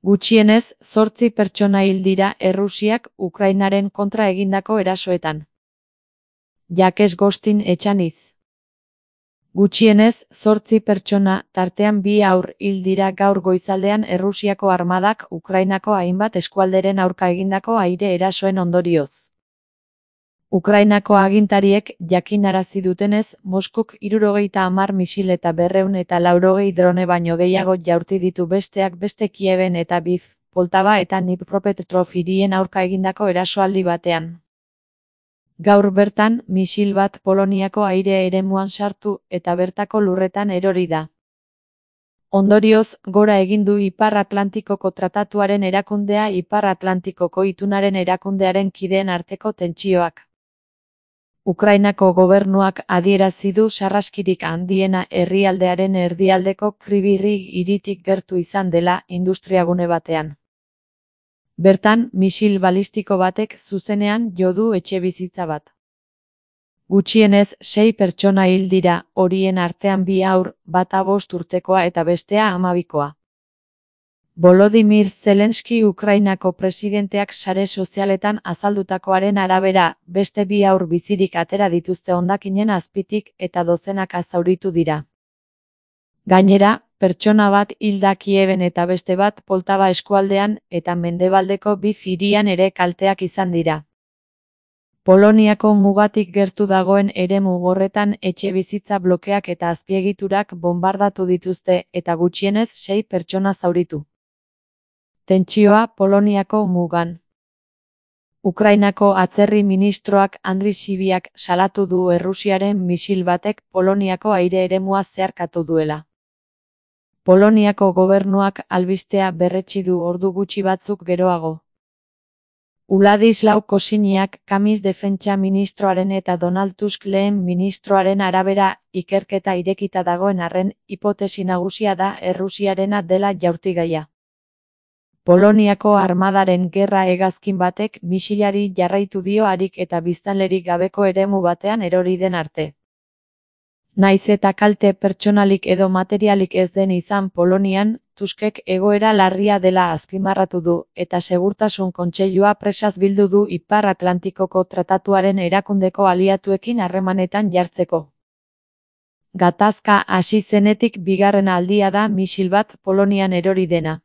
Gutxienez 8 pertsona hil dira Errusiak Ukrainaren kontra egindako erasoetan. Jakes Gostin Etxaniz. Gutxienez 8 pertsona, tartean 2 haur hil dira gaur goizaldean Errusiako armadak Ukrainako hainbat eskualderen aurka egindako aire erasoen ondorioz. Ukrainako agintariek jakinarazi dutenez, Moskuk 70 misil eta 280 drone baino gehiago jaurti ditu besteak beste Kieben eta Lviv, Poltava eta Dnipropetrovsk hirien aurka egindako erasoaldi batean. Gaur bertan, misil bat Poloniako aire eremuan sartu eta bertako lurretan erori da. Ondorioz, gora egin du Ipar Atlantikoko Tratatuaren erakundea Ipar Atlantikoko Itunaren erakundearen kideen arteko tentsioak. Ukrainako gobernuak adierazi du sarraskirik handiena herrialdearen erdialdeko Kryvyi hiritik gertu izan dela industriagune batean. Bertan, misil balistiko batek zuzenean jo du etxebizitza bat. Gutxienez 6 pertsona hil dira, horien artean 2 haur, bata 5 urtekoa eta bestea 12koa. Volodymyr Zelensky Ukrainako presidenteak sare sozialetan azaldutakoaren arabera, beste 2 haur bizirik atera dituzte hondakinen azpitik eta dozenaka zauritu dira. Gainera, pertsona bat hil da Kieben eta beste bat Poltava eskualdean eta mendebaldeko Lviv hirian ere kalteak izan dira. Poloniako mugatik gertu dagoen eremu horretan etxebizitza blokeak eta azpiegiturak bonbardatu dituzte eta gutxienez 6 pertsona zauritu. Tentsioa Poloniako mugan. Ukrainako atzerri ministroak Andriy Sybiak salatu du Errusiaren misil batek Poloniako aire eremua zeharkatu duela. Poloniako gobernuak albistea berretsi du ordu gutxi batzuk geroago. Władysław Kosiniak Kamis defentsa ministroaren eta Donald Tusk lehen ministroaren arabera, ikerketa irekita dagoen arren, hipotesi nagusia da Errusiarena dela jaurtigaia. Poloniako armadaren gerra hegazkin batek misilari jarraitu dio harik eta biztanlerik gabeko eremu batean erori den arte. Naiz eta kalte pertsonalik edo materialik ez den izan Polonian, Tuskek egoera larria dela azpimarratu du eta Segurtasun Kontseilua presaz bildu du Ipar Atlantikoko Tratatuaren erakundeko aliatuekin harremanetan jartzeko. Gatazka hasi zenetik bigarren aldia da misil bat Polonian erori dena.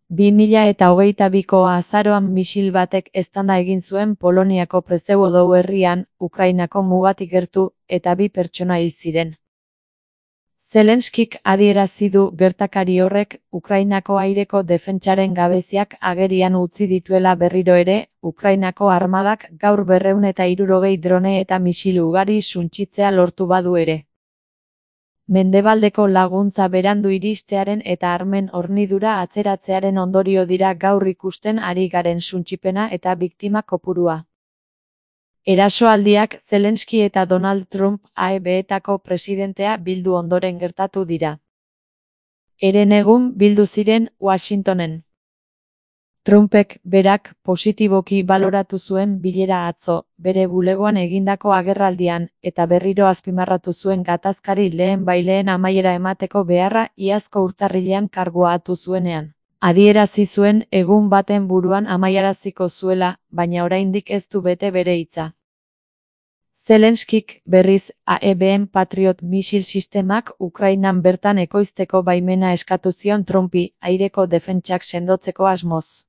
2022ko azaroan misil batek eztanda egin zuen Poloniako Przewodow herrian, Ukrainako mugatik gertu, eta 2 pertsona hil ziren. Zelenskik adierazi du gertakari horrek Ukrainako aireko defentsaren gabeziak agerian utzi dituela berriro ere, Ukrainako armadak gaur 260 drone eta misil ugari suntsitzea lortu badu ere. Mendebaldeko laguntza berandu iristearen eta armen hornidura atzeratzearen ondorio dira gaur ikusten ari garen suntsipena eta biktima kopurua. Erasoaldiak Zelensky eta Donald Trump AEB-etako presidentea bildu ondoren gertatu dira. Herenegun bildu ziren Washingtonen. Trumpek berak positiboki baloratu zuen bilera atzo, bere bulegoan egindako agerraldian, eta berriro azpimarratu zuen gatazkari lehen amaiera emateko beharra iazko urtarrilean kargua hartu zuenean. Adierazi zuen egun baten buruan amaiaraziko zuela, baina oraindik ez du bete bere hitza. Zelenskik berriz AEBen Patriot misil sistemak Ukrainan bertan ekoizteko baimena eskatu zion Trumpi, aireko defentsak sendotzeko asmoz.